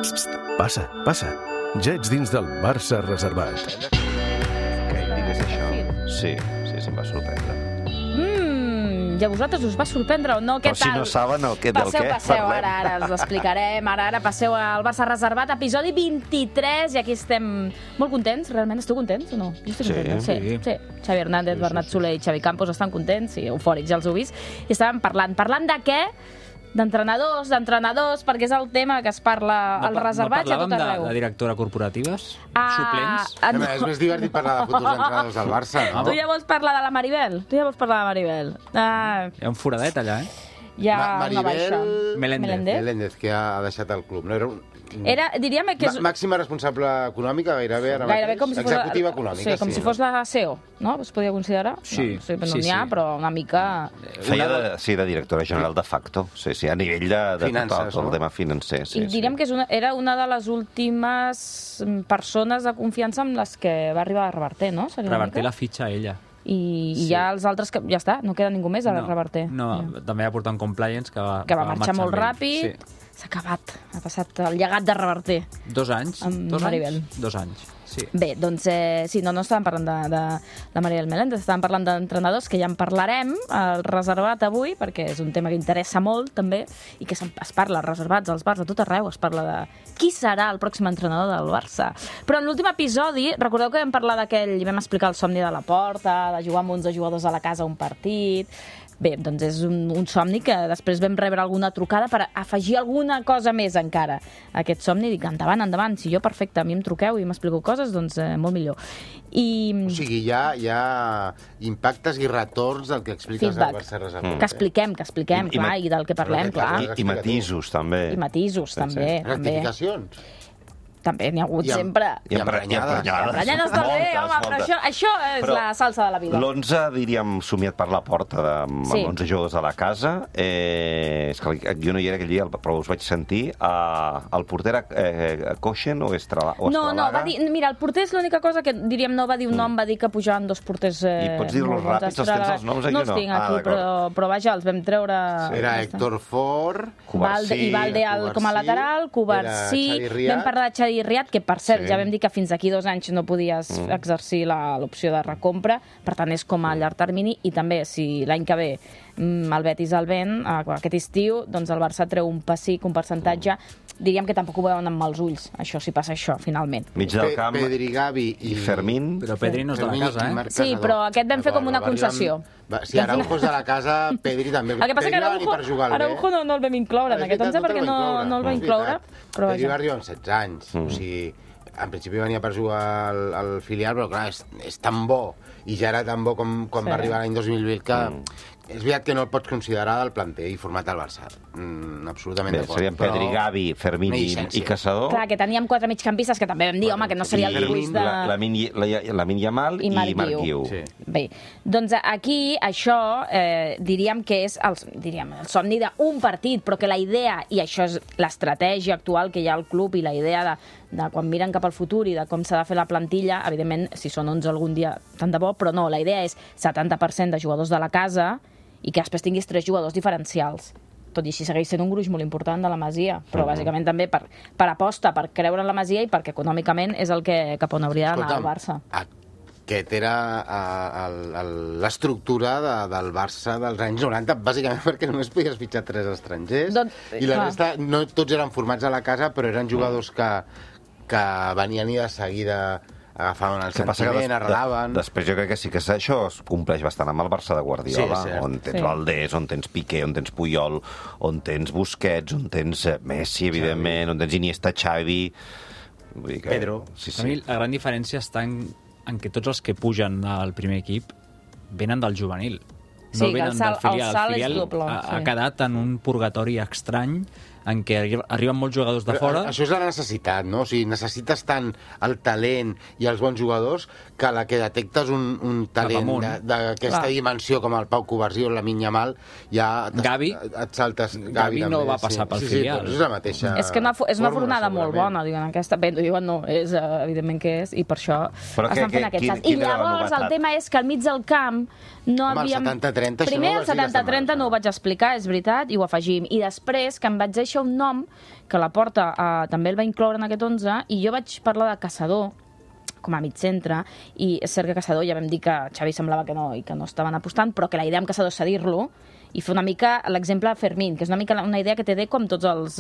Passa, passa. Ja ets dins del Barça reservat. Que ell digués això. Sí, em va sorprendre. I a vosaltres us va sorprendre o no? Què Però si tal? no saben del què Passeu, parlem. ara els explicarem. Ara passeu al Barça reservat, episodi 23, i aquí estem molt contents. Realment esteu contents o no? Jo estic contenta. Sí. Xavi Hernández, Bernat Soler i Xavi Campos estan contents, sí, eufòrics, ja els heu vist. I estàvem parlant de què? D'entrenadors, perquè és el tema que es parla al reservat i a tot arreu. No parlàvem de directora corporatives? Suplents? No. És més divertit parlar de futurs entrenadors del Barça, no? Tu ja vols parlar de la Maribel? Hi ha un foradet allà, Hi ha una baixa. Meléndez, que ha deixat el club. No, diríem que és... Màxima responsable econòmica, gairebé com si fos... executiva econòmica. Sí, com si fos la CEO, no? Es podia considerar? Sí. No n'hi ha, però una mica... Feia de directora general de facto, sí, a nivell de finances, tot el tema financer. I diríem que era una de les últimes persones de confiança amb les que va arribar a Reverter, no? Reverter la fitxa a ella. I ja els altres, que ja està, no queda ningú més a Reverter. No, també va portar un compliance que va marxar molt ràpid. S'ha acabat, ha passat el llegat de Reverter. 2 anys. Amb Maribel. 2 anys, sí. Bé, doncs no estàvem parlant de Maribel Meléndez, estàvem parlant d'entrenadors, que ja en parlarem al reservat avui, perquè és un tema que interessa molt, també, i que es parla als reservats, als bars, a tot arreu, es parla de qui serà el pròxim entrenador del Barça. Però en l'últim episodi, recordeu que vam parlar d'aquell, i vam explicar el somni de la porta, de jugar amb 11 jugadors a la casa a un partit. Bé, doncs és un somni que després vam rebre alguna trucada per afegir alguna cosa més encara a aquest somni. Dic, endavant, si jo perfecte, a mi em truqueu i m'expliqueu coses, doncs molt millor. O sigui, hi ha impactes i retorns del que expliques al Barça reservat. Que expliquem, clar, i del que parlem, clar. I matisos, també. Rectificacions. També n'hi ha hagut sempre. I emprenyades. Emprenyades també, home, però això és la salsa de la vida. L'11, diríem, somiat per la porta amb 11 jugadors a la casa. És que jo no hi era aquell dia, però us vaig sentir. El porter Kochen o Estralaga? No, va dir... Mira, el porter és l'única cosa que, diríem, no va dir un nom, va dir que pujaven 2 porters... I pots dir-los ràpids, els tens els noms aquí o no? No els tinc aquí, però vaja, els vam treure... Era Héctor Fort, i Valde com a lateral, Covarsí, vam parlar de Xavi Riat, que per cert ja vam dir que fins aquí 2 anys no podies exercir l'opció de recompra, per tant és com a llarg termini, i també si l'any que ve el Betis el ven, aquest estiu, doncs el Barça treu un pessic, un percentatge, diríem que tampoc ho veuen amb mals ulls, això, si passa això, finalment. Mig del camp, Pedri, Gavi i Fermín. Però Pedri no és de la casa, Sí, però aquest vam fer com una concessió. Si Araujo és de la casa, Pedri també. El que passa que Araujo no el vam incloure en aquest 11 perquè no el va incloure. Pedri va arribar amb 16 anys, o sigui... En principi venia per jugar al filial, però clar, és tan bo, i ja era tan bo com quan va arribar l'any 2020, que és veritat que no el pots considerar del planter i format al Barça. Absolutament d'acord. Serien Pedri, Gavi, Fermín i Caçador. Clar, que teníem 4 migcampistes que també vam dir, home, que no seria el dibuix de... Lamin Yamal i Marc Guiu. Bé, doncs aquí això diríem que és el somni d'un partit, però que la idea, i això és l'estratègia actual que hi ha al club i la idea de quan miren cap al futur i de com s'ha de fer la plantilla, evidentment, si són 11 algun dia, tant de bo, però no, la idea és 70% de jugadors de la casa i que després tinguis 3 jugadors diferencials. Tot i així segueix sent un gruix molt important de la Masia, però bàsicament també per aposta, per creure en la Masia i perquè econòmicament és el que cap on hauria d'anar el Barça. Aquest era l'estructura del Barça dels anys 90, bàsicament perquè només podies fitxar 3 estrangers, i la resta, no tots eren formats a la casa, però eren jugadors que venien i de seguida agafaven el sentiment, arrelaven... Després jo crec que sí que això es compleix bastant amb el Barça de Guardiola, on tens Valdés, on tens Piqué, on tens Puyol, on tens Busquets, on tens Messi, evidentment, on tens Iniesta, Xavi... Pedro. A mi la gran diferència està en que tots els que pugen al primer equip venen del juvenil. No venen del filial. El filial ha quedat en un purgatori estrany en què arriben molts jugadors de fora. Això és la necessitat, no? O sigui, necessites tant el talent i els bons jugadors que a la que detectes un talent d'aquesta dimensió com el Pau Covarsí o la Lamin Yamal, ja et saltes... Gavi no va passar pel filial. És la mateixa... És que és una fornada molt bona, diuen aquesta... Bé, diuen no, és evidentment que és, i per això estan fent aquest salt. I llavors el tema és que al mig del camp no havíem... Home, el 70-30... Primer el 70-30 no ho vaig explicar, és veritat, i ho afegim. I després que em vaig deixar deixa un nom que la Porta també el va incloure en aquest 11, i jo vaig parlar de Caçador com a mig centre, i és cert que Caçador ja vam dir que Xavi semblava que no, i que no estaven apostant, però que la idea amb Caçador és cedir-lo, i fer una mica l'exemple de Fermín, que és una mica una idea que té Deco amb tots els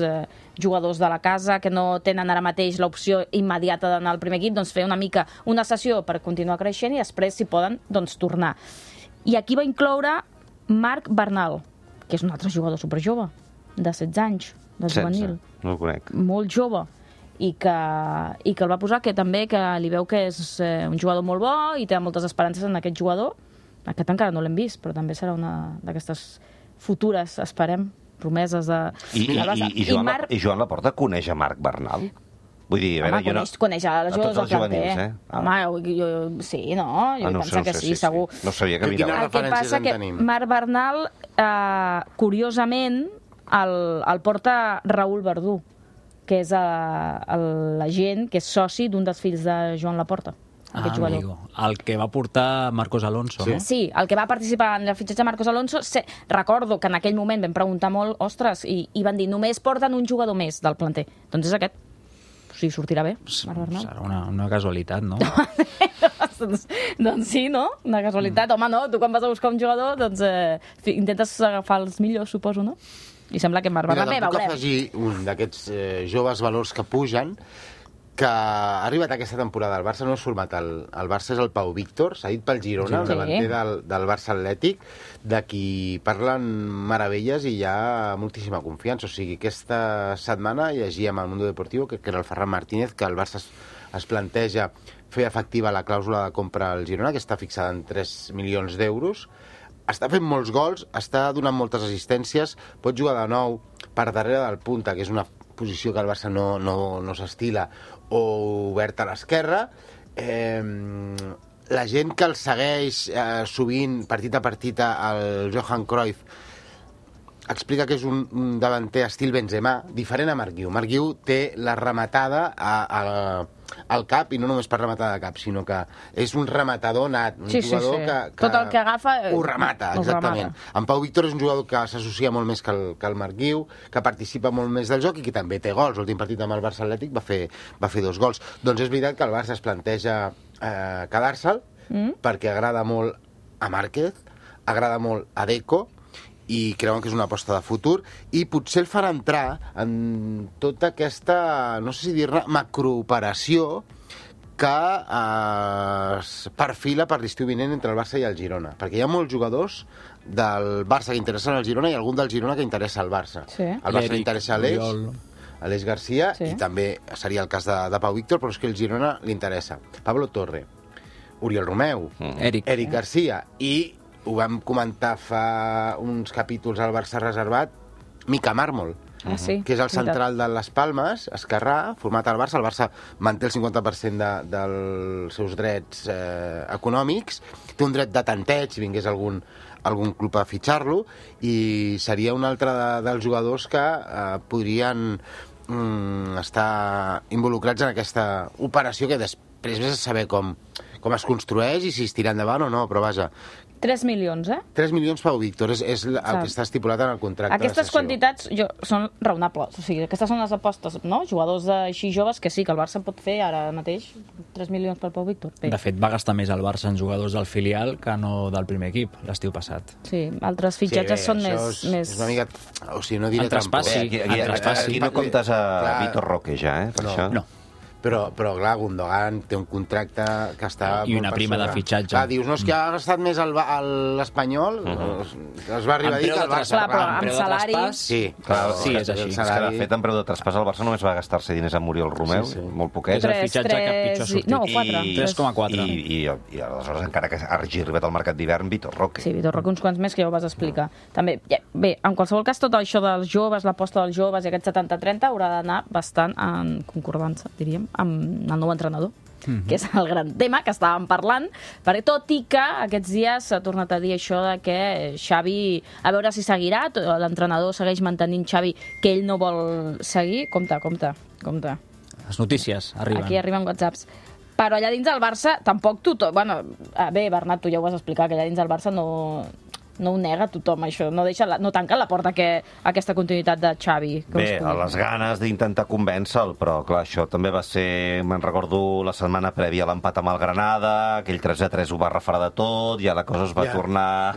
jugadors de la casa, que no tenen ara mateix l'opció immediata d'anar al primer equip, doncs fer una mica una sessió per continuar creixent i després, si poden, doncs tornar. I aquí va incloure Marc Bernal, que és un altre jugador superjove, de 16 anys, de juvenil. No el conec. Molt jove. I que el va posar, que també que li veu que és un jugador molt bo i té moltes esperances en aquest jugador. Aquest encara no l'hem vist, però també serà una d'aquestes futures, esperem, promeses de... I Joan Laporta coneix a Marc Bernal? Vull dir, a veure, coneix a les jugadors del planter. Home, sí, no? Jo penso que sí, segur. No sabia que mirava. El que passa que Marc Bernal, curiosament, el porta Raül Verdú, que és l'agent, que és soci d'un dels fills de Joan Laporta. Amigo. El que va portar Marcos Alonso, no? Sí, el que va participar en el fitxatge de Marcos Alonso. Recordo que en aquell moment vam preguntar molt, ostres, i van dir, només porten un jugador més del planter. Doncs és aquest. O sigui, sortirà bé, Marc Bernal. Serà una casualitat, no? Doncs sí, no? Una casualitat. Home, no, tu quan vas a buscar un jugador, doncs intentes agafar els millors, suposo, no? I sembla que Marc Bernal bé, veurem. Puc afegir un d'aquests joves valors que pugen, que ha arribat aquesta temporada al Barça, no és format el Barça, és el Pau Víctor, cedit pel Girona, el davanter del Barça Atlètic, de qui parlen meravelles i hi ha moltíssima confiança. O sigui, aquesta setmana llegíem al Mundo Deportivo, que era el Ferran Martínez, que el Barça es planteja fer efectiva la clàusula de compra al Girona, que està fixada en 3 milions d'euros. Està fent molts gols, està donant moltes assistències, pot jugar de nou per darrere del punta, que és una posició que el Barça no s'estila, o obert a l'esquerra. La gent que el segueix sovint, partit a partit, el Johan Cruyff, explica que és un davanter estil Benzema, diferent a Marc Guiu. Marc Guiu té la rematada al cap, i no només per rematada de cap, sinó que és un rematador nat, un jugador que tot el que agafa ho remata, exactament. En Pau Víctor és un jugador que s'associa molt més que el Marc Guiu, que participa molt més del joc i que també té gols. L'últim partit amb el Barça Atlètic va fer 2 gols. Doncs és veritat que el Barça es planteja quedar-se'l, perquè agrada molt a Márquez, agrada molt a Deco, i creuen que és una aposta de futur, i potser el farà entrar en tota aquesta, no sé si dir-ne, macrooperació que es perfila per l'estiu vinent entre el Barça i el Girona, perquè hi ha molts jugadors del Barça que interessen al Girona i algun del Girona que interessa al Barça. Al Barça li interessa Aleix Garcia, i també seria el cas de Pau Víctor, però és que el Girona li interessa Pablo Torre, Oriol Romeu, Eric Garcia, i ho vam comentar fa uns capítols al Barça reservat, Mica Mármol, que és el central de les Palmes, esquerrà, format al Barça. El Barça manté el 50% dels seus drets econòmics, té un dret de tanteig si vingués algun club a fitxar-lo, i seria un altre dels jugadors que podrien estar involucrats en aquesta operació, que després vés a saber com es construeix i si es tira endavant o no, però vaja. 3 milions, 3 milions Pau Víctor, és el que està estipulat en el contracte de cessió. Aquestes quantitats són raonables, o sigui, aquestes són les apostes, no? Jugadors així joves que sí, que el Barça pot fer ara mateix 3 milions per Pau Víctor. De fet, va gastar més el Barça en jugadors del filial que no del primer equip, l'estiu passat. Sí, altres fitxatges són més... És una mica... O sigui, no diré trampós. Aquí no comptes a Vitor Roque ja, per això? No. Però clar, Gundogan té un contracte que està... I una prima de fitxatge. Clar, dius, no, és que ha gastat més l'Espanyol, es va arribar a dir que el Barça... Clar, però amb salari... Sí, és així. És que, de fet, en preu de traspàs, el Barça només va gastar-se diners amb Oriol Romeu, molt poquet. És el fitxatge que pitjor ha sortit. No, 4. 3,4. I aleshores, encara que hagi arribat al mercat d'hivern, Vitor Roque. Sí, Vitor Roque, uns quants més que ja ho vas explicar. També, bé, en qualsevol cas, tot això dels joves, l'aposta dels joves i aquest 70-30 haurà d'anar bastant en concordança, diríem, amb el nou entrenador, que és el gran tema que estàvem parlant, perquè tot i que aquests dies s'ha tornat a dir això de que Xavi, a veure si seguirà, l'entrenador segueix mantenint Xavi que ell no vol seguir, compte. Les notícies arriben. Aquí arriben whatsapps. Però allà dins del Barça tampoc bé, Bernat, tu ja ho vas explicar, que allà dins del Barça no no ho nega tothom, això. No tanca la porta a aquesta continuïtat de Xavi. Bé, a les ganes d'intentar convèncer-lo, però clar, això també va ser, me'n recordo, la setmana prèvia a l'empat amb el Granada, aquell 3-3 ho va refredar de tot, ja la cosa es va tornar...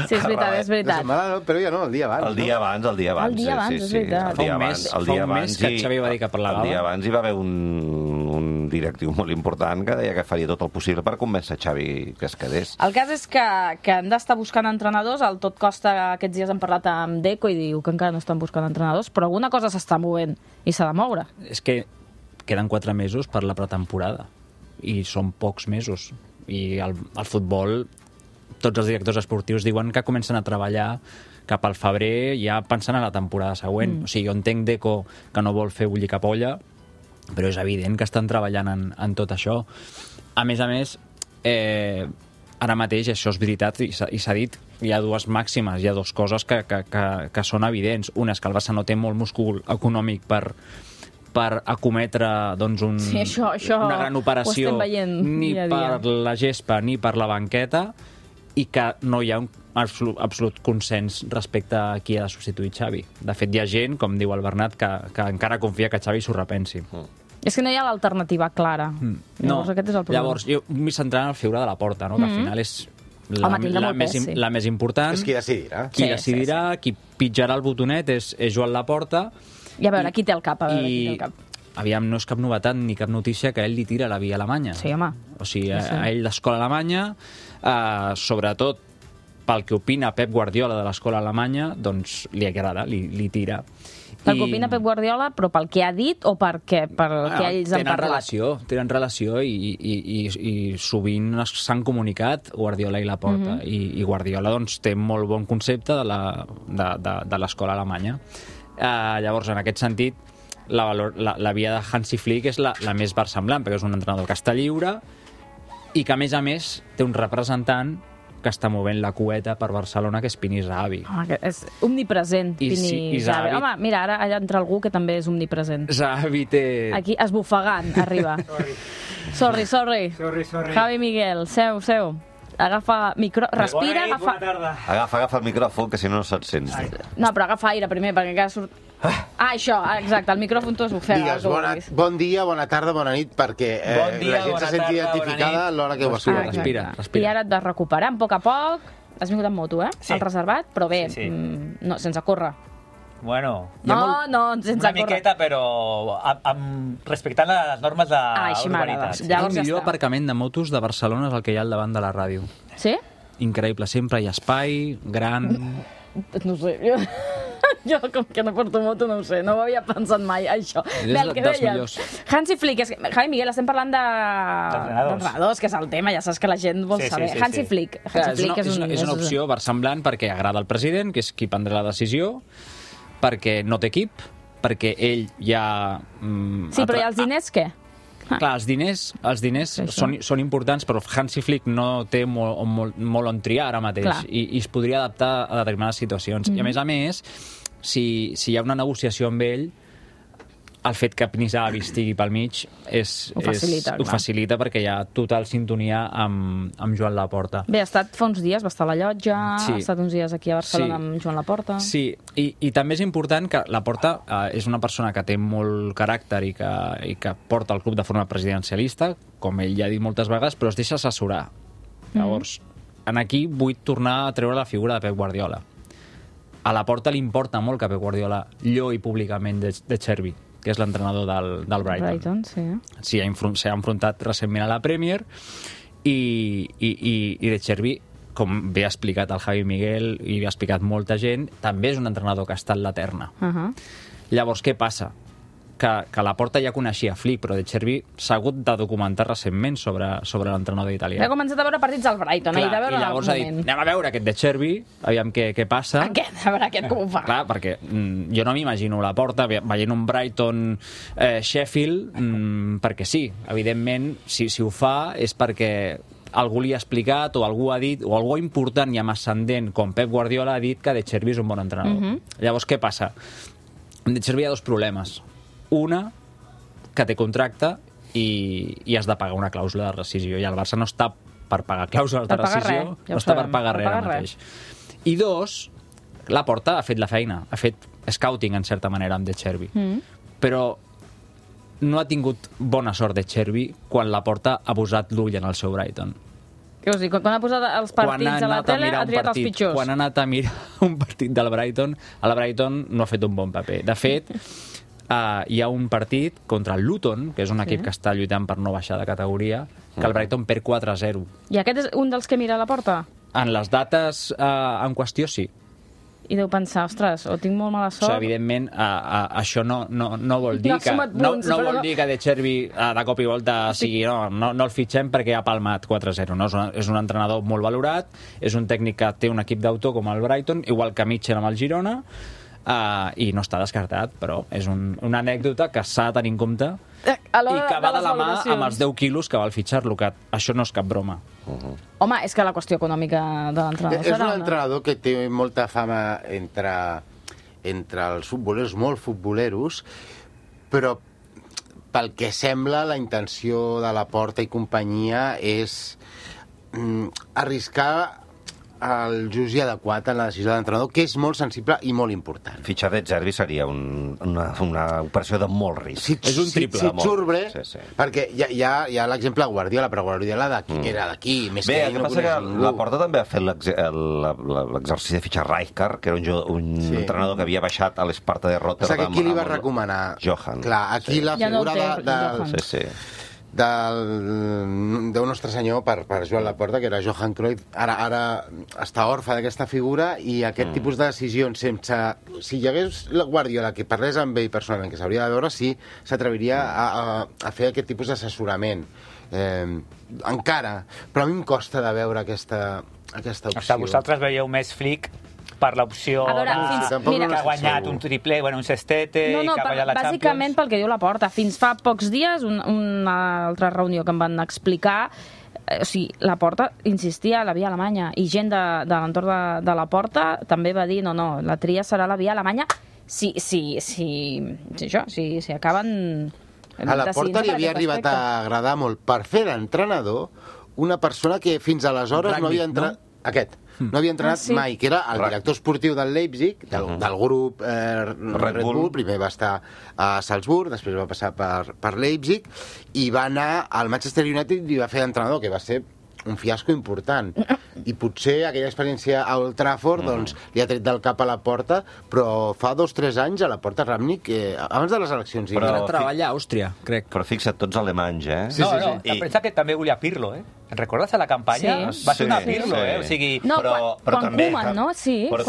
Sí, és veritat, és veritat. La setmana, però ja no, el dia abans. El dia abans, El dia abans, és veritat. Fa un mes que Xavi va dir que parlava. El dia abans hi va haver un directiu molt important que deia que faria tot el possible per convèncer Xavi que es quedés. El cas és que han d'estar buscant entrenadors. El Tot Costa aquests dies han parlat amb Deco i diu que encara no estan buscant entrenadors, però alguna cosa s'està movent i s'ha de moure. És que queden 4 mesos per la pretemporada i són pocs mesos. I el futbol, tots els directors esportius diuen que comencen a treballar cap al febrer ja pensant en la temporada següent. O sigui, jo entenc Deco que no vol fer bullir cap olla, però és evident que estan treballant en tot això. A més, ara mateix, això és veritat, i s'ha dit, hi ha dues màximes, hi ha dues coses que són evidents. Una és que el Barça no té molt múscul econòmic per acometre doncs, una gran operació ni per la gespa ni per la banqueta, i que no hi ha un absolut consens respecte a qui ha de substituir Xavi. De fet, hi ha gent, com diu el Bernat, que encara confia que Xavi s'ho repensi. És que no hi ha l'alternativa clara. Llavors, aquest és el problema. Llavors, jo m'hi centraré en la figura de la Porta, no? Que al final és la més important. És qui decidirà. Qui decidirà, qui pitjarà el botonet és Joan Laporta. I a veure, qui té el cap? Aviam, no és cap novetat ni cap notícia que ell li tira la via alemanya. Sí, home. O sigui, a ell l'escola alemanya, sobretot pel que opina Pep Guardiola de l'escola alemanya, doncs li agrada, li tira. Pel que opina Pep Guardiola, però pel que ha dit o per què? Pel que ells han parlat? Tenen relació i sovint s'han comunicat Guardiola i Laporta. I Guardiola doncs, té molt bon concepte de l'escola alemanya. Llavors, en aquest sentit, la via de Hansi Flick és la més versemblant, perquè és un entrenador que està lliure i que, a més, té un representant que està movent la cueta per Barcelona, que és Pini Zahavi. És omnipresent, Pini Zahavi. Home, mira, ara allà entra algú que també és omnipresent. Zahavi té... Aquí, esbufegant, arriba. Sorry. Javi Miguel, seu. Agafa respira, agafa... Agafa el micròfon, que si no se't sents. No, però agafa aire primer, perquè encara surt... això, exacte, el micròfon tu esbufega. Digues, bon dia, bona tarda, bona nit, perquè la gent se senti identificada a l'hora que ho escolta. Respira. I ara et vas recuperant a poc. Has vingut amb moto, Sí. Al reservat, però bé, no, sense córrer. Bueno, sense una miqueta, però respectant les normes d'urbanitat. El millor aparcament de motos de Barcelona és el que hi ha al davant de la ràdio. Sí? Increïble, sempre hi ha espai, gran... No sé, jo com que no porto moto no ho sé, no ho havia pensat mai, això. Bé, el que deies, Hansi Flick, Javi Miguel, estem parlant d'entrenadors, que és el tema, ja saps que la gent vol saber. Hansi Flick és una opció versemblant perquè agrada al president, que és qui prendrà la decisió, perquè no té equip, perquè ell ja... Sí, però i els diners què? Clar, els diners són importants, però Hansi Flick no té molt on triar ara mateix i es podria adaptar a determinades situacions. I a més, si hi ha una negociació amb ell, el fet que Pini Zahavi estigui pel mig ho facilita perquè hi ha total sintonia amb Joan Laporta. Bé, ha estat fa uns dies, va estar a la llotja, ha estat uns dies aquí a Barcelona amb Joan Laporta. Sí, i també és important que Laporta és una persona que té molt caràcter i que porta el club de forma presidencialista, com ell ja ha dit moltes vegades, però es deixa assessorar. Llavors, aquí vull tornar a treure la figura de Pep Guardiola. A Laporta li importa molt que Pep Guardiola lloi públicament de Chervi, que és l'entrenador del Brighton. Sí, s'ha enfrontat recentment a la Premier i De Chervi, com bé ha explicat el Javi Miguel i ha explicat molta gent, també és un entrenador que està en la terna. Llavors, què passa? Que Laporta ja coneixia Flick, però De Chervi s'ha hagut de documentar recentment sobre l'entrenador italià. Ha començat a veure partits del Brighton, i llavors ha dit, anem a veure aquest De Chervi, aviam què passa. A veure aquest com ho fa. Clar, perquè jo no m'imagino Laporta veient un Brighton Sheffield, perquè sí, evidentment, si ho fa és perquè algú li ha explicat o algú ha dit, o algú important i amb ascendent com Pep Guardiola ha dit que De Chervi és un bon entrenador. Llavors, què passa? Amb De Chervi hi ha dos problemes. Una, que té contracte i has de pagar una clàusula de rescisió, i el Barça no està per pagar clàusules de rescisió, no està per pagar res ara mateix. I dos, Laporta ha fet la feina, ha fet scouting, en certa manera, amb De Chervi. Però no ha tingut bona sort De Chervi quan Laporta ha posat l'ull en el seu Brighton. Què vols dir? Quan ha posat els partits a la tele, ha triat els pitjors. Quan ha anat a mirar un partit del Brighton, el Brighton no ha fet un bon paper. De fet, hi ha un partit contra el Luton, que és un equip que està lluitant per no baixar de categoria, que el Brighton perd 4-0. I aquest és un dels que mira a la porta? En les dates en qüestió, sí. I deu pensar, ostres, o tinc molt mala sort... O sigui, evidentment, això no vol dir que... No vol dir que De Chervi de cop i volta sigui... No el fitxem perquè ha palmat 4-0. No? És un entrenador molt valorat, és un tècnic que té un equip d'autor com el Brighton, igual que Mitchell amb el Girona, i no està descartat, però és una anècdota que s'ha de tenir en compte i que va de la mà amb els 10 quilos que val fitxar-lo, que això no és cap broma. Home, és que la qüestió econòmica de l'entrenador serà... És un entrenador que té molta fama entre els futboleros, molt futboleros, però pel que sembla la intenció de Laporta i companyia és arriscar el just i adequat en la decisió de l'entrenador, que és molt sensible i molt important. Fitxar De Chervi seria una operació de molt risc. És un triple. Si et surt bé, perquè hi ha l'exemple Guardiola, però Guardiola era d'aquí, més que ell no coneix ningú. Laporta també ha fet l'exercici de fitxar Rijkaard, que era un entrenador que havia baixat a l'Esparta de Rotterdam. Qui li va recomanar? Johan. Clar, aquí la figura del nostre senyor per Joan Laporta, que era Johan Cruyff, ara està orfe d'aquesta figura, i aquest tipus de decisions sense... Si hi hagués la Guardiola que parlés amb ell personalment, que s'hauria de veure, sí s'atreviria a fer aquest tipus d'assessorament. Encara, però a mi em costa de veure aquesta opció. Vosaltres veieu més Flick per l'opció que ha guanyat un triple, un sextete, que ha guanyat la Champions. Bàsicament pel que diu Laporta. Fins fa pocs dies, una altra reunió que em van explicar, o sigui, Laporta insistia a la via alemanya, i gent de l'entorn de Laporta també va dir no, la tria serà la via alemanya si acaben... A Laporta li havia arribat a agradar molt per fer d'entrenador una persona que fins aleshores no havia entrat... No havia entrenat mai, que era el director esportiu del Leipzig, del grup Red Bull. Primer va estar a Salzburg, després va passar per Leipzig, i va anar al Manchester United i va fer d'entrenador, que va ser un fiasco important. I potser aquella experiència a Old Trafford li ha tret del cap a Laporta, però fa 2 o 3 anys a Laporta Rangnick, abans de les eleccions... Però treballa a Àustria, crec. Però fixa't, tots alemanys, No, pensa que també volia Pirlo, ¿En recordes a la campanya? Va ser una Pirlo, O sigui... No, quan Koeman, no? Sí, quan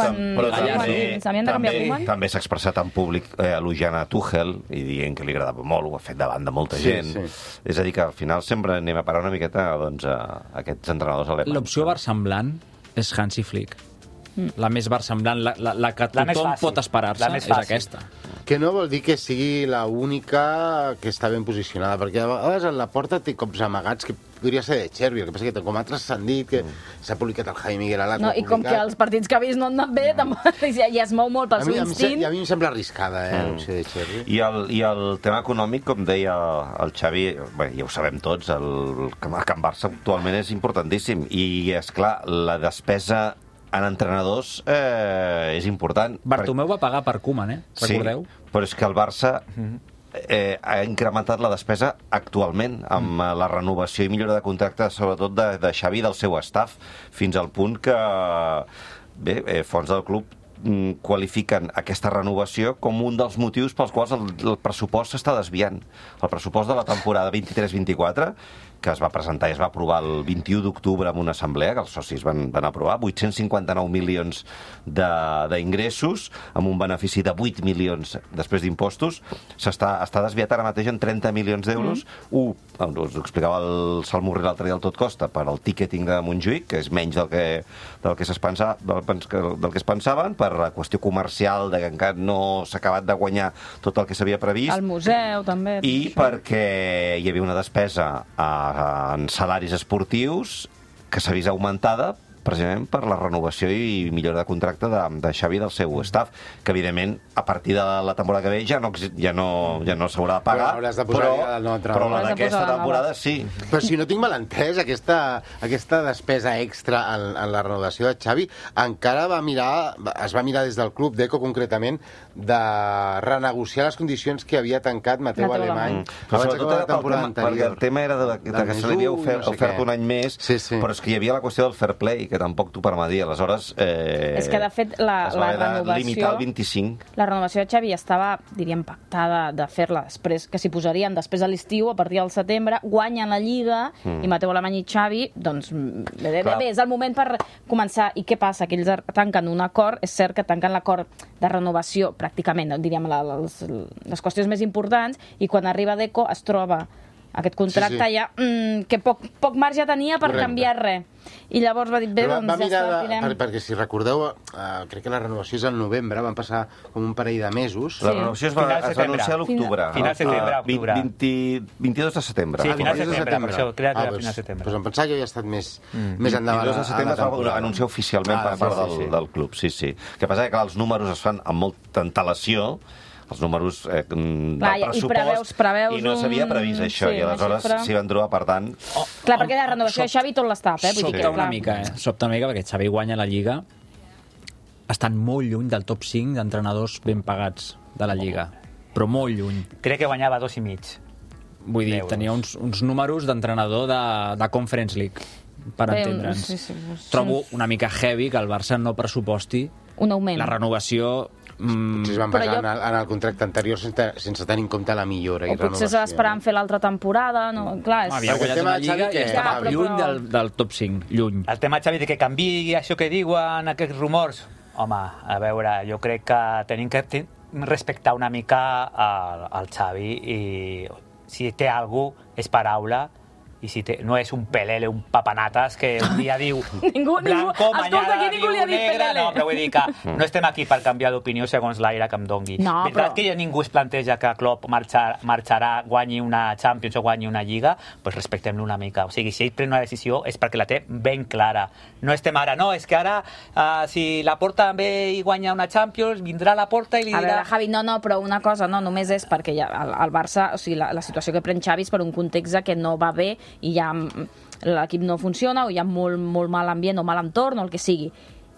s'havien de canviar Koeman. També s'ha expressat en públic elogiant a Tuchel i dient que li agradava molt, ho ha fet davant de molta gent. És a dir, que al final sempre anem a parar una miqueta a aquests entrenadors alemanys. L'opció versemblant és Hansi Flick. La més versemblant, la que tothom pot esperar-se, és aquesta. Que no vol dir que sigui l'única que està ben posicionada, perquè a vegades en Laporta té cops amagats que podria ser De Chervi, el que passa que com altres s'han dit que s'ha publicat el Jaime Miguel Alat. I com que els partits que ha vist no han anat bé, ja es mou molt pel seu instint. I a mi em sembla arriscada, l'opció de Chervi. I el tema econòmic, com deia el Xavi, ja ho sabem tots, el Can Barça actualment és importantíssim, i esclar, la despesa en entrenadors és important. Bartomeu va pagar per Koeman, recordeu? Sí, però és que el Barça ha incrementat la despesa actualment amb la renovació i millora de contracte, sobretot de Xavi i del seu staff, fins al punt que fons del club qualifiquen aquesta renovació com un dels motius pels quals el pressupost s'està desviant. El pressupost de la temporada 23-24, que es va presentar i es va aprovar el 21 d'octubre en una assemblea, que els socis van aprovar, 859 milions d'ingressos, amb un benefici de 8 milions després d'impostos, està desviat ara mateix en 30 milions d'euros. Us ho explicava el Salmurri l'altre dia al Tot Costa, per al ticketing de Montjuïc, que és menys del que es pensaven, per la qüestió comercial, de que encara no s'ha acabat de guanyar tot el que s'havia previst. El museu, també. I perquè hi havia una despesa en salaris esportius que s'ha vist augmentada precisament per la renovació i millora de contracte de Xavi i del seu staff, que evidentment a partir de la temporada que ve ja no s'haurà de pagar, però la d'aquesta temporada sí. Però si no tinc mal entès, aquesta despesa extra en la renovació de Xavi encara es va mirar des del club d'Eco concretament de renegociar les condicions que havia tancat Mateu Alemany abans d'acabar la temporada anterior. Perquè el tema era que se li havia ofert un any més, però és que hi havia la qüestió del fair play, que tampoc t'ho permetia. Aleshores, és que, de fet, la renovació... limitar el 25. La renovació de Xavi estava, diríem, pactada de fer-la després, que s'hi posarien després de l'estiu, a partir del setembre, guanyen la Lliga, i Mateu Alemany i Xavi, doncs, bé, és el moment per començar. I què passa? Que ells tanquen un acord, és cert que tanquen l'acord de renovació, pràcticament, diríem, les qüestions més importants, i quan arriba Deco es troba aquest contracte ja que poc marge tenia per canviar res. I llavors va dir, bé, doncs ja està, tirem. Perquè si recordeu, crec que la renovació és al novembre, van passar com un parell de mesos. La renovació es va anunciar a l'octubre. Final setembre, octubre. 22 de setembre. Sí, final setembre, per això crec que era final setembre. Doncs em pensava que havia estat més endavant. 22 de setembre es va anunciar oficialment per part del club, sí. El que passa és que els números es fan amb molta antelació, els números del pressupost, i no s'havia previst això, i aleshores s'hi van trobar, per tant... Clar, perquè la renovació de Xavi tot l'està, Sobta una mica, perquè Xavi guanya la Lliga estan molt lluny del top 5 d'entrenadors ben pagats de la Lliga, però molt lluny. Crec que guanyava 2,5. Vull dir, tenia uns números d'entrenador de Conference League, per entendre'ns. Trobo una mica heavy que el Barça no pressuposti un augment. La renovació... Potser es van basar en el contracte anterior sense tenir en compte la millora i renovació. O potser s'ha d'esperar en fer l'altra temporada, no? Clar, havia guanyat una Lliga i estava lluny del top 5, lluny. El tema, Xavi, de que canviï això que diuen aquests rumors, home, a veure, jo crec que tenim que respectar una mica al Xavi, i si té algú és paraula, i si no és un pelele, un papanates, que un dia diu blanco, mañana diu negre... No, però vull dir que no estem aquí per canviar d'opinió segons l'aire que em dongui. Veritat que ningú es planteja que Klopp marxarà, guanyi una Champions o guanyi una Lliga, doncs respectem-lo una mica. O sigui, si ell pren una decisió és perquè la té ben clara. No estem ara, no, és que ara si la Porta ve i guanya una Champions, vindrà la Porta i li dirà... A veure, Javi, no, però una cosa, no, només és perquè el Barça, o sigui, la situació que pren Xavi és per un context que no va bé i ja l'equip no funciona o hi ha molt mal ambient o mal entorn o el que sigui.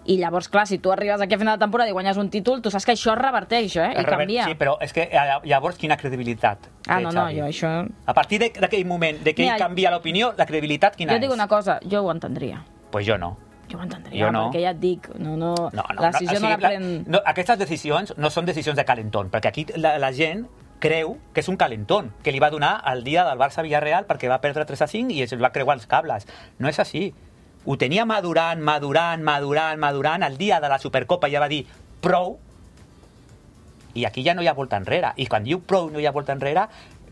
I llavors, clar, si tu arribes aquí a final de temporada i guanyes un títol, tu saps que això reverteix, i canvia. Sí, però és que llavors quina credibilitat té no, Xavi? Jo això... A partir d'aquell moment de que ell canvia l'opinió, la credibilitat quina és? Jo dic una cosa, jo ho entendria. Pues jo no. Jo ho entendria, perquè ja et dic, la decisió no la pren... Aquestes decisions no són decisions de calentón, perquè aquí la gent creu que és un calentón, que li va donar el dia del Barça-Villarreal perquè va perdre 3-5 i es va creuar els cables. No és així. Ho tenia madurant el dia de la Supercopa, ja va dir prou, i aquí ja no hi ha volta enrere. I quan diu prou no hi ha volta enrere,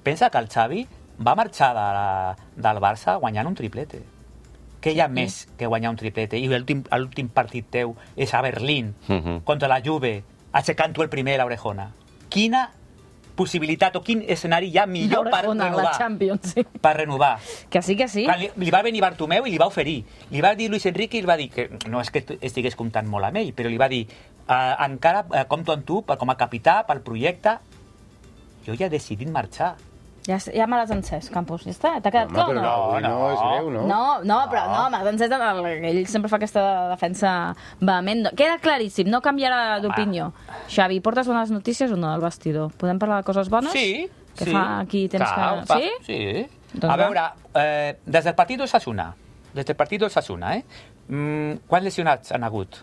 pensa que el Xavi va marxar del Barça guanyant un triplete. Què hi ha més que guanyar un triplete? I l'últim partit teu és a Berlín, contra la Juve, aixecant-ho el primer a l'Orejona. Quina possibilitat o quin escenari hi ha millor per renovar? La Champions, sí. Per renovar. Que sí, que sí. Li va venir Bartomeu i li va oferir. Li va dir Luis Enrique i li va dir que no és que estigués comptant molt amb ell, però li va dir encara compto amb tu com a capità pel projecte. Jo ja he decidit marxar. Ja me l'has encès, Campos. Ja està, t'ha quedat clar o no? No, és greu, no? No, però me l'has encès. Ell sempre fa aquesta defensa vehement. Queda claríssim, no canviarà d'opinió. Xavi, portes bones notícies o no del vestidor? Podem parlar de coses bones? Sí. Que fa aquí temps que... Sí? Sí. A veure, des del partit d'Osasuna, quants lesionats han hagut?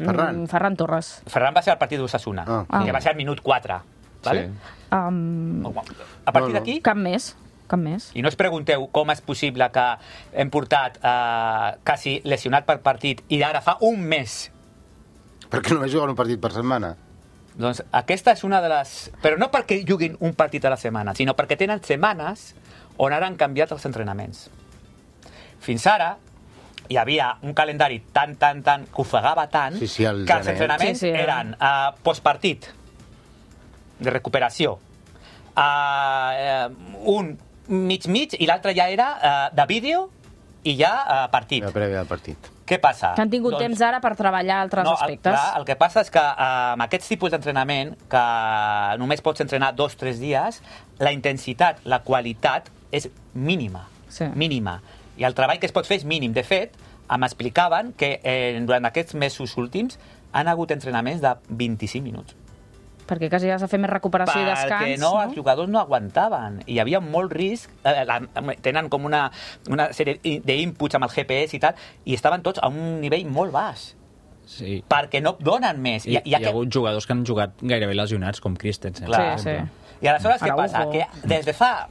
Ferran Torres. Ferran va ser al partit d'Osasuna, que va ser al minut 4. Vale? A partir d'aquí... Cap més. I no us pregunteu com és possible que hem portat quasi lesionat per partit i ara fa un mes. Perquè només juguen un partit per setmana. Doncs aquesta és una de les... Però no perquè juguin un partit a la setmana, sinó perquè tenen setmanes on ara han canviat els entrenaments. Fins ara hi havia un calendari tan que ofegava tant que els entrenaments eren postpartit, de recuperació, un mig i l'altre ja era de vídeo i ja partit. La prèvia del partit. Què passa? Que han tingut temps ara per treballar altres aspectes. El que passa és que amb aquests tipus d'entrenament, que només pots entrenar 2 o 3 dies, la intensitat, la qualitat és mínima. Mínima. I el treball que es pot fer és mínim. De fet, m'explicaven que durant aquests mesos últims han hagut entrenaments de 25 minuts. Perquè quasi has de fer més recuperació i descans. Perquè els jugadors no aguantaven. I hi havia molt risc. Tenen com una sèrie d'inputs amb el GPS i tal, i estaven tots a un nivell molt baix. Sí. Perquè no donen més. Hi ha hagut jugadors que han jugat gairebé lesionats, com Christensen. Clar, sí. I aleshores què passa? Que des de fa...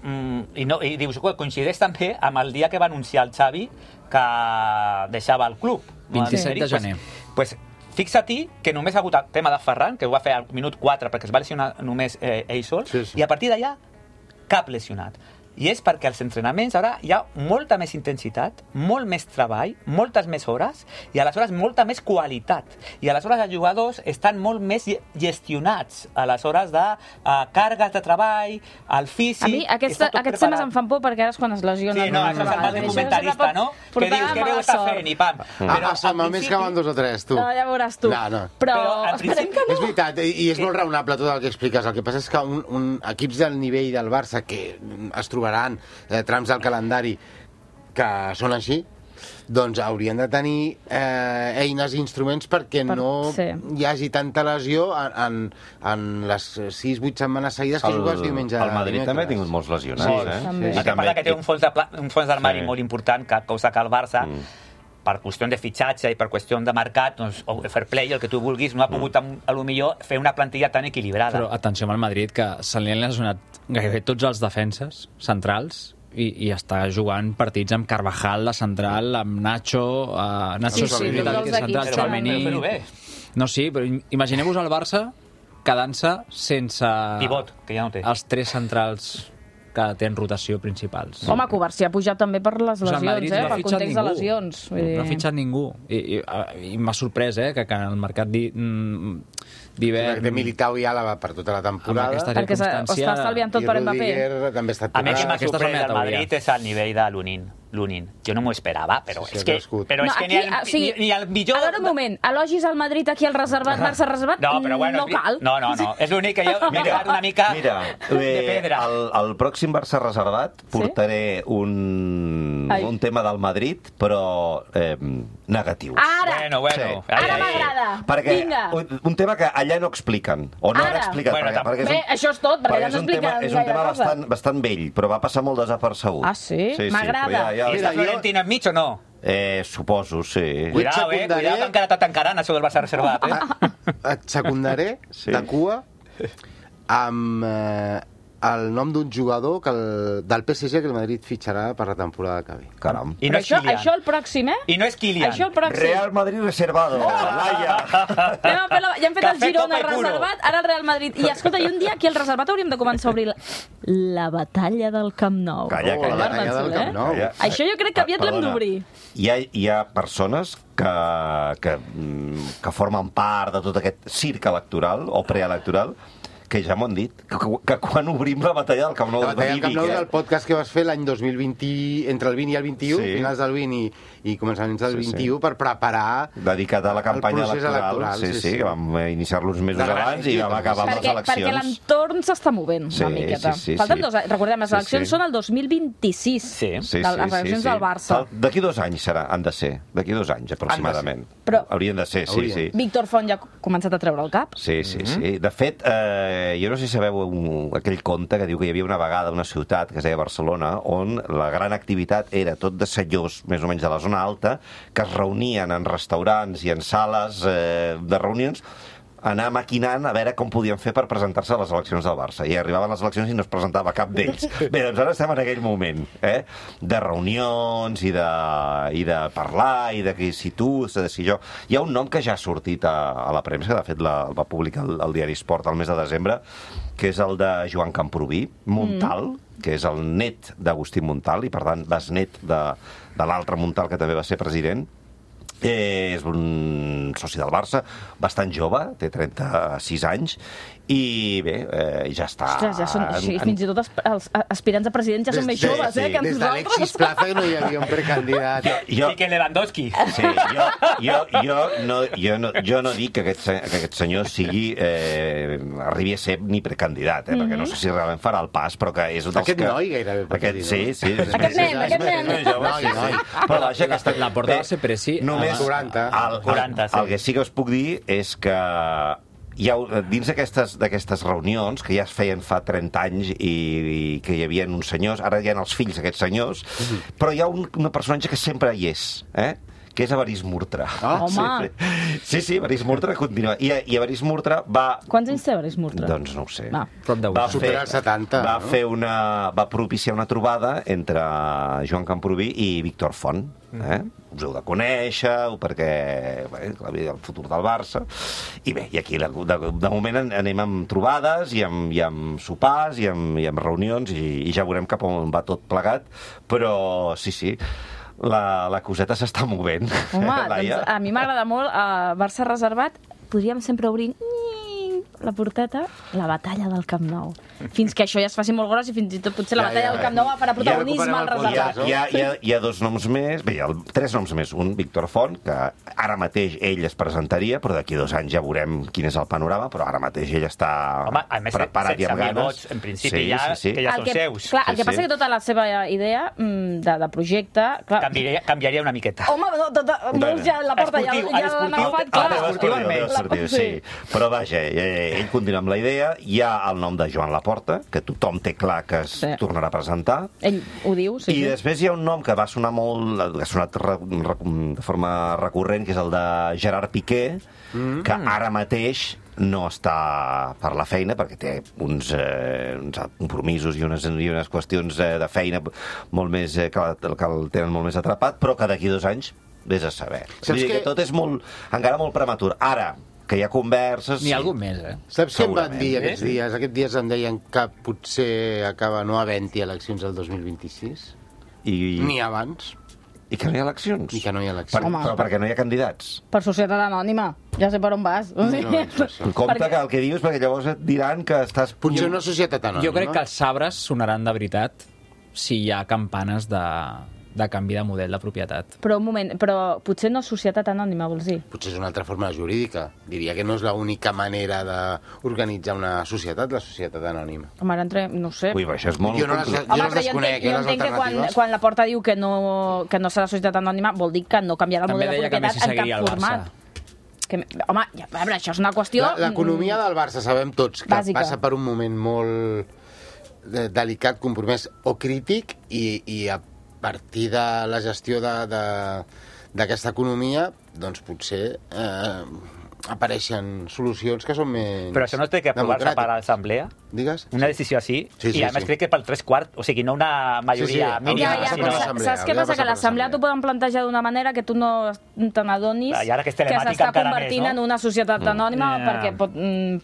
I dius, coincideix també amb el dia que va anunciar el Xavi que deixava el club. 27 de gener. Pues fixa-t'hi que només ha hagut el tema de Ferran, que ho va fer al minut 4 perquè es va lesionar només ell sol, i a partir d'allà cap lesionat. I és perquè als entrenaments ara hi ha molta més intensitat, molt més treball, moltes més hores, i aleshores molta més qualitat. I aleshores els jugadors estan molt més gestionats a les hores de càrregues de treball, el físic... A mi aquests temes em fan por perquè ara és quan es lesionen. Sí, no, això se'n va de comentarista, no? Que dius, què veu està fent, i pam. Però només que van 2 o 3, tu. No, ja veuràs tu. Però esperem que no. És veritat, i és molt raonable tot el que expliques. El que passa és que equips del nivell del Barça que es trobaran trams del calendari que són així, doncs haurien de tenir eines i instruments perquè no hi hagi tanta lesió en les 6-8 setmanes seguides que jugues diumenge. El Madrid també ha tingut molts lesionats. I també que té un fons d'armari molt important, cosa que el Barça per qüestió de fitxatge i per qüestió de mercat, doncs, o fair play, el que tu vulguis, no ha pogut, a lo millor, fer una plantilla tan equilibrada. Però atenció amb el Madrid, que se li han lesionat gairebé tots els defenses centrals i està jugant partits amb Carvajal, la central, amb Nacho, central, Tchouaméni... No, sí, però imagineu-vos el Barça quedant-se sense... Pivot, que ja no té. Els 3 centrals que tenen rotació principals. Home, Covarsí ha pujat també per les lesions, pel context de lesions. No ha fitxat ningú. I m'ha sorprès, que el mercat d'hivern... De Militao i Àlava per tota la temporada. Perquè està estalviant tot per Mbappé. A mi que m'ha sorprès del Madrid és el nivell de Lunin. Jo no m'ho esperava, però és que ni el millor... A veure, un moment, elogis al Madrid aquí al reservat, Barça reservat, no cal. No, és l'únic que jo m'he quedat una mica de pedra. El pròxim Barça reservat portaré un tema del Madrid, però negatiu. Ara! Bueno. Ara m'agrada. Perquè un tema que allà no expliquen, o no han explicat. Bé, això és tot, perquè allà no expliquen gaire cosa. És un tema bastant vell, però va passar molt desapercebut. Ah, sí? M'agrada. I està Florentino enmig o no? Suposo, sí. Cuidado, que encara està tancarant això del Barça reservat. Et secundaré de cua amb el nom d'un jugador del PSG que el Madrid fitxarà per la temporada que ve. Caram. I no és Kylian. Això el pròxim, I no és Kylian. Això el pròxim. Real Madrid reservado. Ja hem fet el Girona reservat, ara el Real Madrid. I escolta, i un dia aquí al reservat hauríem de començar a obrir la batalla del Camp Nou. Calla. La batalla del Camp Nou. Això jo crec que aviat l'hem d'obrir. Hi ha persones que formen part de tot aquest circ electoral o preelectoral que ja m'ho han dit, que quan obrim la batalla del Camp Nou... La batalla del Camp Nou del podcast que vas fer l'any 2020, entre el 20 i el 21, finals del 20 i començaments del 21, per preparar... Dedicat a la campanya electoral. Sí, que vam iniciar-lo uns mesos abans i vam acabar amb les eleccions. Perquè l'entorn s'està movent una miqueta. Falten 2 anys. Recordem, les eleccions són el 2026. Les eleccions del Barça. D'aquí 2 anys han de ser. D'aquí 2 anys, aproximadament. Haurien de ser, sí. Víctor Font ja ha començat a treure el cap. Sí. De fet, jo no sé si sabeu aquell conte que diu que hi havia una vegada una ciutat que es deia Barcelona on la gran activitat era tot de senyors més o menys de la zona alta que es reunien en restaurants i en sales de reunions anar maquinant a veure com podien fer per presentar-se a les eleccions del Barça. I arribaven les eleccions i no es presentava cap d'ells. Bé, doncs ara estem en aquell moment, de reunions i de parlar i de si tu, de si jo... Hi ha un nom que ja ha sortit a la premsa, de fet el va publicar el diari Esport el mes de desembre, que és el de Joan Camprubí, Montal, que és el net d'Agustí Montal i, per tant, besnet de l'altre Montal, que també va ser president, és un soci del Barça, bastant jove, té 36 anys, i bé, ja està... Ostres, ja són, fins i tot els aspirants a president ja són més joves, que nosaltres. Des d'Alexis Plaza no hi havia un precandidat. I que Lewandowski. Sí, jo no dic que aquest senyor arribi a ser ni precandidat, perquè no sé si realment farà el pas, però que és un dels aquest noi gairebé pot dir, no? Sí. Aquest nen. Però vaja, la porta va ser preci. Només 40. El que sí que us puc dir és que dins d'aquestes reunions, que ja es feien fa 30 anys i que hi havia uns senyors, ara hi ha els fills d'aquests senyors, però hi ha un personatge que sempre hi és, que és Evarist Murtra. Home! Sí, Evarist Murtra continua. I Evarist Murtra va... Quants anys té Evarist Murtra? Doncs no ho sé. Va superar els 70. Va propiciar una trobada entre Joan Camprubí i Víctor Font. Us heu de conèixer, perquè el futur del Barça. I bé, i aquí de moment anem amb trobades i amb sopars i amb reunions i ja veurem cap on va tot plegat. Però sí, la coseta s'està movent. Home, doncs a mi m'agrada molt Barça reservat. Podríem sempre obrir la porteta, la batalla del Camp Nou. Fins que això ja es faci molt gros i fins i tot potser la batalla del Camp Nou farà protagonisme al reservat. Hi ha 2 noms més, bé, hi ha 3 noms més. Un, Víctor Font, que ara mateix ell es presentaria, però d'aquí 2 anys ja veurem quin és el panorama, però ara mateix ell està preparat i amb ganes. Vots, en principi, que ja són seus. Clar, el que passa que tota la seva idea de projecte... Canviaria una miqueta. Home, molts ja la porta ja l'han agafat, clar. Sí, però vaja, ell continua amb la idea. Hi ha el nom de Joan Laporta, que tothom té clar que es tornarà a presentar. Ell ho diu, sí. I després hi ha un nom que va sonar molt, que ha sonat de forma recurrent, que és el de Gerard Piqué, que ara mateix no està per la feina, perquè té uns compromisos i unes qüestions de feina molt més que el tenen molt més atrapat, però que d'aquí 2 anys vés a saber. Vull dir que tot és encara molt prematur. Ara, que hi ha converses... N'hi ha algun més, Saps què em van dir aquests dies? Aquests dies em deien que potser acaba no havent-hi eleccions el 2026. Ni abans. I que no hi ha eleccions? I que no hi ha eleccions. Però perquè no hi ha candidats? Per societat anònima. Ja sé per on vas. Compte que el que dius, perquè llavors et diran que estàs... Potser una societat anònima. Jo crec que els sabres sonaran de veritat si hi ha campanes de canvi de model de propietat. Però un moment, però potser no societat anònima, vols dir? Potser és una altra forma jurídica. Diria que no és l'única manera d'organitzar una societat, la societat anònima. Home, ara no sé. Ui, això és molt... Jo no les desconec, jo entenc que quan la Porta diu que no serà societat anònima, vol dir que no canviarà el model de propietat en cap format. Home, a veure, això és una qüestió... L'economia del Barça sabem tots que passa per un moment molt delicat, compromès o crític i a partir de la gestió d'aquesta economia, doncs potser apareixen solucions que són més... Però això no té que aprovar-se per l'assemblea? Digues? Una decisió així? I a més crec que pel 3/4, o sigui, no una majoria mínima. Saps què passa? Que l'assemblea t'ho poden plantejar d'una manera que tu no te n'adonis que s'està convertint en una societat anònima,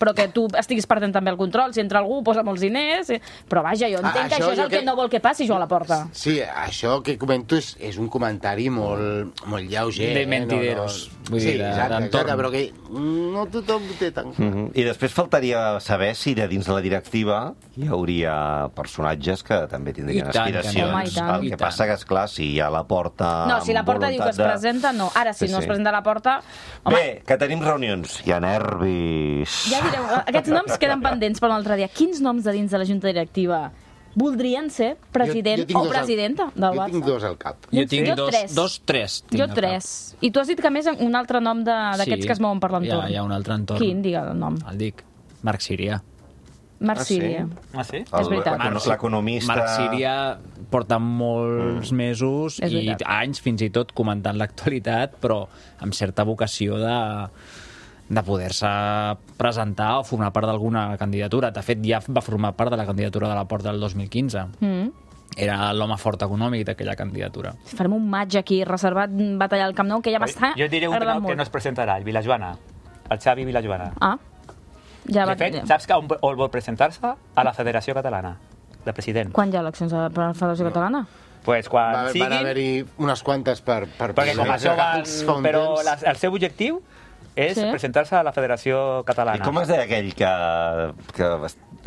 però que tu estiguis perdent també el control. Si entra algú, posa molts diners... Però vaja, jo entenc que això és el que no vol que passi, Joan Laporta. Sí, això que comento és un comentari molt lleuger. De mentideros. Vull dir, exacte, però que no tothom té tant clar. I després faltaria saber si de dins de la directiva hi hauria personatges que també tindrien aspiracions. El que passa que, esclar, si hi ha la Porta... No, si la Porta diu que es presenta, no. Ara, si no es presenta la Porta... Bé, que tenim reunions. Hi ha nervis. Ja direu, aquests noms queden pendents per un altre dia. Quins noms de dins de la Junta Directiva voldrien ser president o presidenta del Barça? Jo tinc 2 al cap. Jo tinc tres. Jo 3. I tu has dit que més un altre nom d'aquests que es mouen per l'entorn. Hi ha un altre entorn. Quin, digue el nom. El dic. Marc Síria. Marc Síria. Ah, sí? És veritat. L'economista... Marc Síria porta molts mesos i anys fins i tot comentant l'actualitat, però amb certa vocació de poder-se presentar o formar part d'alguna candidatura. De fet, ja va formar part de la candidatura de la Porta del 2015. Era l'home fort econòmic d'aquella candidatura. Farem un match aquí, reservat, batallar al Camp Nou, que ja m'està agradant molt. Jo diré un que no es presentarà, el Vilajoana. El Xavi Vilajoana. Ja de fet, saps on vol presentar-se? A la Federació Catalana, de president. Quan hi ha eleccions a la Federació Catalana? Pues quan siguin... Van haver-hi unes quantes per perquè com això van... Però el seu objectiu és presentar-se a la Federació Catalana. I com es deia aquell que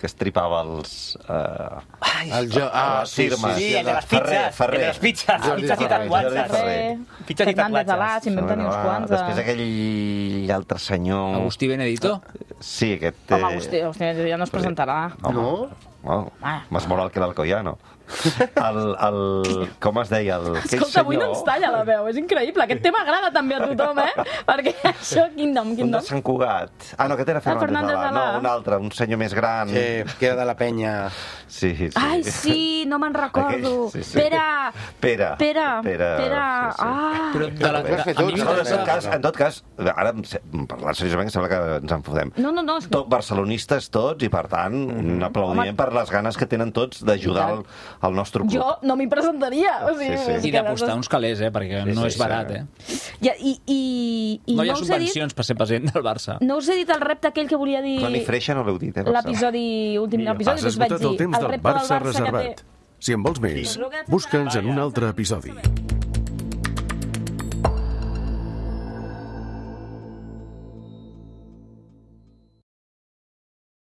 estripava els... Sí, el de les pizzas. El de les pizzas. Pizzas i tatuatges. Pizzas i tatuatges. S'inventen uns quants. Després aquell altre senyor... Agustí Benedito? Sí, aquest... Home, Agustí Benedito ja no es presentarà. No? Més moral que l'Alcoyano. Com es deia? Escolta, avui no ens talla la veu, és increïble. Aquest tema agrada també a tothom, Perquè això, quin nom? Un de Sant Cugat. No, aquest era Fernández Alà. No, un altre, un senyor més gran. Que era de la penya. Sí. Ai, sí, no me'n recordo. Pere. En tot cas, ara, parlant seriosament, sembla que ens enfodem. No. Barcelonistes tots, i per tant, un aplaudiment per les ganes que tenen tots d'ajudar el nostre club. Jo no m'hi presentaria. I d'apostar uns calés, perquè no és barat, No hi ha subvencions per ser president del Barça. No us he dit el repte aquell que volia dir... No, ni freixa no l'heu dit, l'últim episodi que us vaig dir. El temps del Barça reservat. Si en vols més, busca'ns en un altre episodi.